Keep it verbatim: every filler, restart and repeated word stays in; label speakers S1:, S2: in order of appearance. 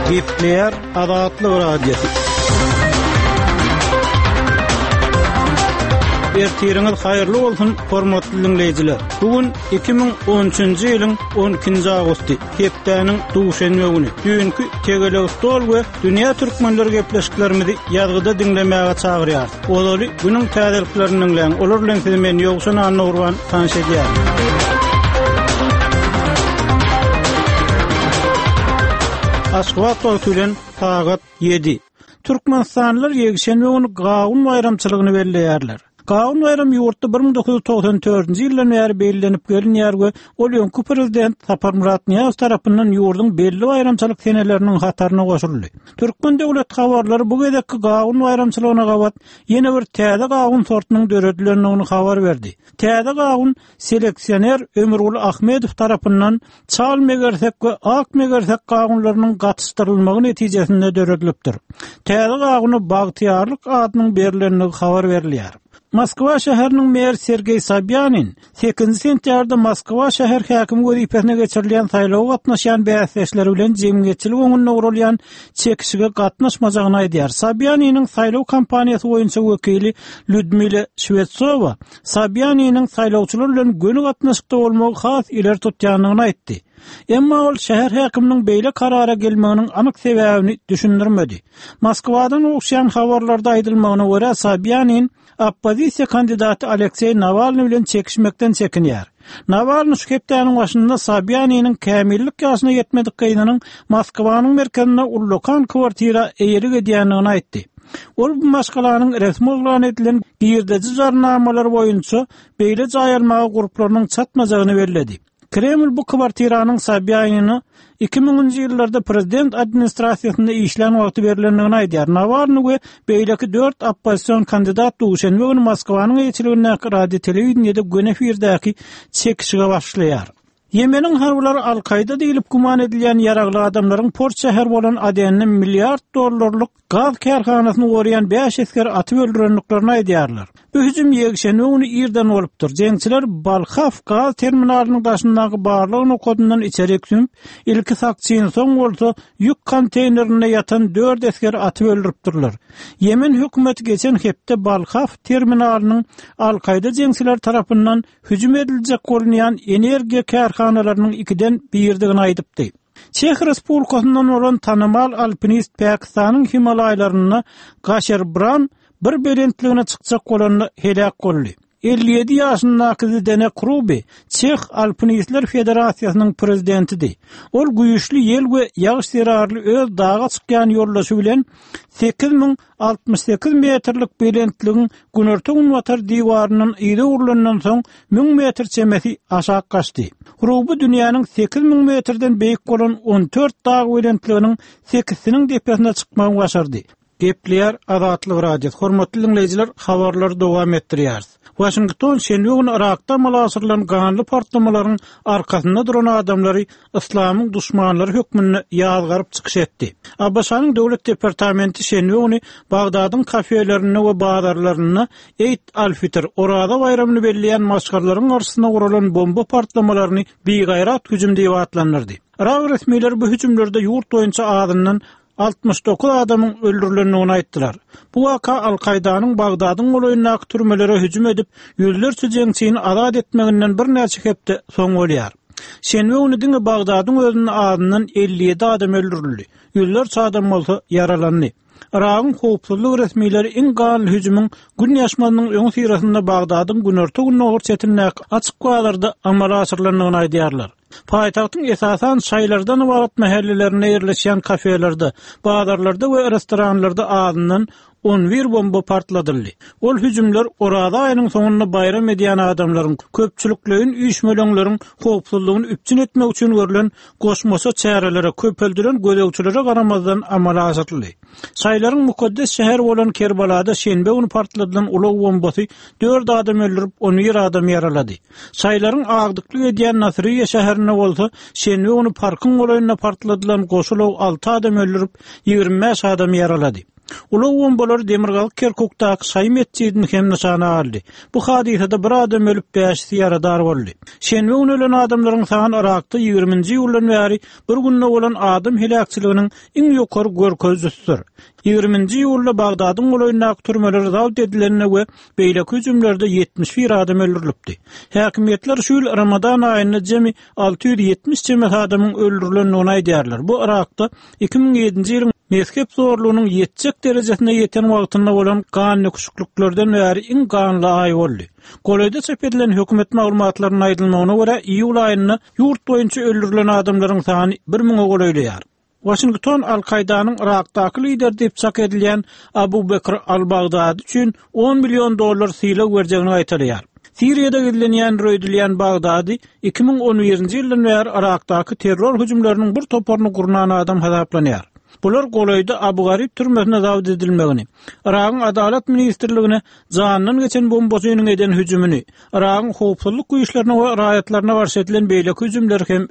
S1: Gepleýär Azatlyk Radiosy. Ertiriňiz haýyrly bolsun, hormatly dinleýjiler. Bu gün iki müň on üçünji ýylyň on ikinji awgusty, hepdäniň duşenbe güni. Düýnki Tegelek stol we Dünýä Türkmenleri gepleşiklerimizi ýazgyda diňlemäge çagyrýarys. Ozaly günüň täzeliklerini diňläň. Olar bilen sizi men Ýowşan Annagurban tanyş edýärin. Aşgabat wagty bilen sagat ýedi. Türkmenistanlylar ýekşenbe güni Gawun baýramçylygyny belleýärler. Gawun baýramy ýurtda bir müň dokuz ýüz togsan dördünji ýyldan bäri bellenip gelinýär we ol öňki prezident Saparmyrat Nyýazow tarapyndan ýurduň belli baýramçylyk seneleriniň hataryna goşuldy. Türkmen döwlet habarlary bu gezekki Gawun baýramçylygyna gabat ýene bir täze gawun sortunyň döredilendigini habar berdi. Täze gawun seleksioner Ömürgül Ahmedow tarapyndan çal megersek we ak megersek gawunlarynyň gatyşdyrylmagy netijesinde döredilipdir. Täze gawuna Bagtyýarlyk adynyň berilendigi habar berilýär. Moskwa şäheriniň meri Sergeý Sobýanin sekizinji sentýabrda Moskwa şäher häkimi wezipesine geçirilýän saýlawa gatnaşýan bäsdeşleri bilen jemgyýetçilik öňünde gurulýan çekişige gatnaşmajagyny aýdýar. Sobýaniniň saýlaw kampaniýasy boýunça wekili Lyudmila Şwetsowa Sobýaniniň saýlawçylar bilen göni gatnaşykda bolmagy has ileri tutýandygyny aýtdy. Emma ol şäher häkiminiň beýle karara gelmeginiň anyk sebäbini düşündirmedi. Moskwadan gowuşýan habarlarda aýdylmagyna görä Sobýanin oppozisiýa kandidaty Alekseý Nawalny bilen çekişmekden çekinýär. Nawalny şu hepdäniň başynda Sobýaniniň kämillik ýaşyna ýetmedik gyzynyň Moskwanyň merkezinde ullakan kwartira eýelik edýändigini aýtdy. Ol bu maşgalanyň resmi yglan edilen girdeji jarnamalary boýunça beýle jaý almaga gurplarynyň çatmajagyny belledi. Kreml bu kwartiranyň Sobýanine iki müňünji ýyllarda prezident administrasiýasynda işlän wagty berilendigini aýdýar. Nawalny we beýleki dört oppozision kandidat duşenbe güni Moskwanyň eýeçiligindäki radio telewideniýede göni efirdäki çekişige başlaýar. Ýemeniň harbylary Al-Kaýda diýilip güman edilýän ýaragly adamlaryň port şäheri bolan Adenni milliard dollarlyk gaz kärhanasyny goraýan bäş esger atyp öldürendiklerini aýdýarlar. Bu hüjüm ýekşenbe güni irden bolupdyr. Jeňçiler Balhaf gaz terminalynyň daşyndaky barlyk nokadyndan içeri sümüp, ilki sakçyny soň bolsa ýük konteýnerinde ýatan dört esger atyp öldüripdirler. Ýemen hökümeti geçen hepde Balhaf terminalynyň Al-Kaýda jeňçiler tarapyndan hüjüm ediljek bolunýan energiýa kärhanalarynyň ikiden birdigini aýdypdy. Çeh Respublikasyndan bolan tanymal alpinist Pakistanyň Himalaýlarynda Gaşerbran bir belentligine çykjak bolanda helak boldy. Elli ýedi ýaşyndaky Zdenek Hruby Çeh Alpinistler Federasiýasynyň prezidentidi. Ol güýçli ýel we ýagyş zerarly öz daga çykýan ýoldaşy bilen sekiz müň altmyş sekiz metrlik belentligiň günorta günbatar diwaryndan yza urlandan soň müň metr çemesi aşak gaçdy. Hruby dünýäniň sekiz müň metrden beýik bolan on dört dag belentliginiň sekizsiniň depesine çykmagy başardy. Gepleýär Azatlyk Radiosy. Hormatly dinleýjiler, habarlary dowam etdirýäris. Washington şenbe güni Irakda amala aşyrylan ganly partlamalaryň arkasynda duran adamlary yslamyň duşmanlary hökmünde ýazgaryp çykyş etdi. A B Ş-nyň Döwlet Departamenti şenbe güni Bagdadyň kafelerinde we bazarlarynda Eid al-Fitr, Oraza baýramyny belleýän maşgalalaryň garşysyna guralan bomba partlamalaryny bigaýrat hüjüm diýip atlandyrdy. Irak resmileri bu hüjümlerde ýurt boýunça azyndan altmyş dokuz adamyň öldürilendigini aýtdylar. Bu waka Al-Kaýdanyň Bagdadyň golaýyndaky türmelere hüjüm edip, ýüzlerçe jeňçini azat etmeginden birnäçe hepde soň bolýar. Şenbe güni diňe Bagdadyň özünde azyndan elli ýedi adam öldürildi. Ýüzlerçe adam bolsa ýaralandy. Iragyň howpsuzlyk resmileri iň ganly hüjümiň gün ýaşmasynyň öň syrasynda Bagdadyň günorta gündogar çetindäki açyk bazarda amala aşyrylandygyny aýdýarlar. Paýtagtyň esasan şaýlardan ybarat mähellelerinde ýerleşýän kafelerde, bazarlarda we restoranlarda azyndan on bir bomba partladyldy. Ol hüjümler Oraza aýynyň soňunda baýram edýän adamlaryň, köpçülikleýin üýşmeleňleriň howpsuzlygyny üpjün etmek üçin görülen goşmaça çärelere, köpeldilen gözegçilere garamazdan amala aşyryldy. Şaýlaryň mukaddes şäheri bolan Kerbalada şenbe güni partladylan ulag bombasy dört adam öldürip, on bir adam ýaralady. Şaýlaryň agdyklyk edýän Nasriýe şäherinde bolsa şenbe güni parkyň golaýynda partladylan goşulag alty adam öldürip, ýigrimi bäş adam ýaralady. Ulag bombalary demirgazyk Kerkukdaky şaýy metjidini hem nyşana aldy. Bu hadysada bir adam ölüp, bäşisi ýaradar boldy. Şenbe güni ölen adamlaryň sany Yrakda ýigriminji iýuldan bäri bir günde bolan adam heläkçiliginiň iň ýokary görkezijisidir. Ýigriminji iýulda Bagdadyň golaýyndaky türmeler zabt edilende we beýleki hüjümlerde ýetmiş bir adam öldürilipdi. Häkimiýetler şu ýyl Ramadan aýynda jemi alty ýüz ýetmiş çemesi adamyň öldürilendigini aýdýarlar. Bu Yrakda iki müň ýedinji ýylyň mezhep zorlugynyň ýetjek derejesine ýeten wagtynda bolan gandöküşikliklerden bäri iň ganly aý boldy. Golaýda çap edilen hökümet maglumatlarynda aýdylmagyna görä, iýul aýynda ýurt boýunça öldürilen adamlaryň sany bir müňe golaýlaýar. Waşington Al-Kaýdanyň Yrakdaky lideri diýip çak edilýän Abu Bekr al-Bagdady üçin on million dollar sylag berjegini gaýtalaýar. Siriýada gizlenýän öýdülýän Bagdady iki müň on birinji ýyldan bäri Yrakdaky terror hüjümleriniň bir toparyny gurnan adam hasaplanýar. Bular golaýda Abu Garib türmesine zabt edilmegini, Yragyň Adalat ministrligine janyndan geçen bombaçynyň eden hüjümini, Yragyň howpsuzlyk güýçlerine we raýatlaryna garşy edilen beýleki hüjümleri hem